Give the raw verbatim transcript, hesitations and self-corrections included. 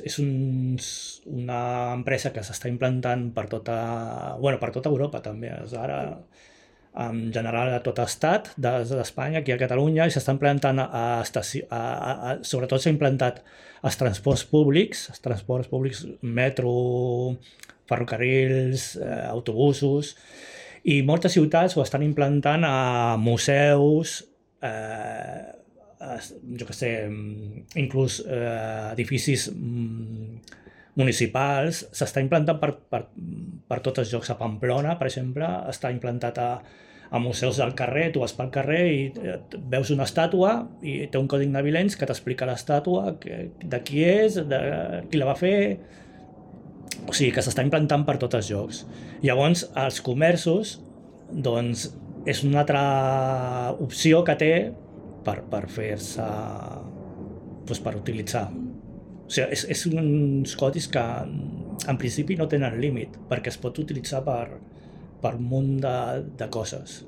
És un, una empresa que s'està implantant per tota, bueno, per tota Europa també, és ara en general a tot estat d'Espanya, aquí a Catalunya, i s'està implantant a, estació, a, a, a sobretot s'ha implantat als transports públics, els transports públics, metro, ferrocarrils, eh, autobusos, i moltes ciutats ho estan implantant a museus, eh, jo què sé, inclús eh, edificis municipals, s'està implantant per, per, per tots els llocs. A Pamplona, per exemple, està implantat a, a museus del carrer, tu vas pel carrer i veus una estàtua i té un codi navilens que t'explica l'estàtua, de qui és, de qui la va fer, o sigui que s'està implantant per tots els llocs. Llavors, els comerços, doncs, és una altra opció que té per, per fer-se, doncs per utilitzar. O sigui, és, és uns codis que en principi no tenen límit, perquè es pot utilitzar per, per un munt de, de coses.